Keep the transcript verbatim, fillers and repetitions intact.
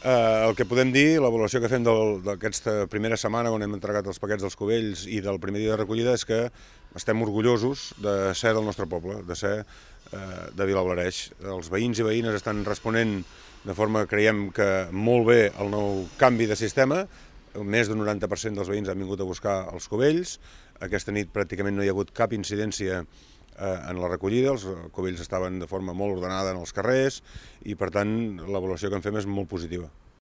Eh, el que podem dir, l'avaluació que fem d'aquesta primera setmana on hem entregat els paquets dels Cubells i del primer dia de recollida és que estem orgullosos de ser del nostre poble, de ser eh, de Vilablareix. Els veïns i veïnes estan responent de forma, creiem que molt bé, al nou canvi de sistema. Més d'un noranta per cent dels veïns han vingut a buscar els Cubells. Aquesta nit pràcticament no hi ha hagut cap incidència en la recollida, els Cubells estaven de forma molt ordenada en els carrers i per tant l'avaluació que en fem és molt positiva.